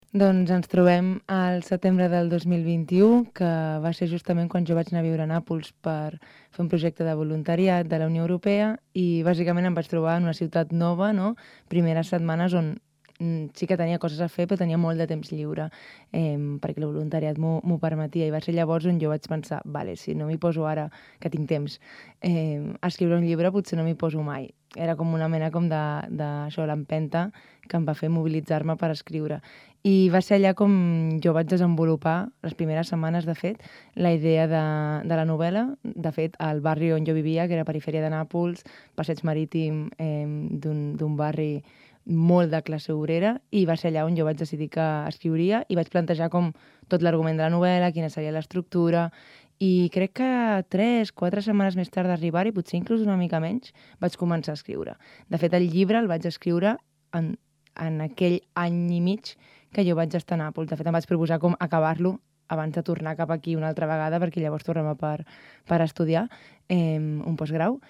Doncs ens trobem al setembre del 2021, que va ser justament quan jo vaig anar a viure a Nàpols per fer un projecte de voluntariat de la Unió Europea i bàsicament em vaig trobar en una ciutat nova, no? Primeres setmanes on sí que tenia coses a fer, però tenia molt de temps lliure, perquè el voluntariat m'ho permetia i va ser llavors on jo vaig pensar, vale, si no m'hi poso ara, que tinc temps, a escriure un llibre potser no m'hi poso mai. Era com una mena com això, l'empenta que em va fer mobilitzar-me per escriure. I va ser allà com jo vaig desenvolupar, les primeres setmanes, de fet, la idea de la novel·la. De fet, al barri on jo vivia, que era perifèria de Nàpols, passeig marítim d'un barri molt de classe obrera, i va ser allà on jo vaig decidir que escriuria i vaig plantejar com tot l'argument de la novel·la, quina seria l'estructura, i crec que 3-4 setmanes més tard d'arribar-hi, potser inclús una mica menys, vaig començar a escriure. De fet, el llibre el vaig escriure en aquell any i mig que jo vaig estar a Nàpols. De fet, em vaig proposar com acabar-lo abans de tornar cap aquí una altra vegada, perquè llavors tornava per estudiar un postgrau.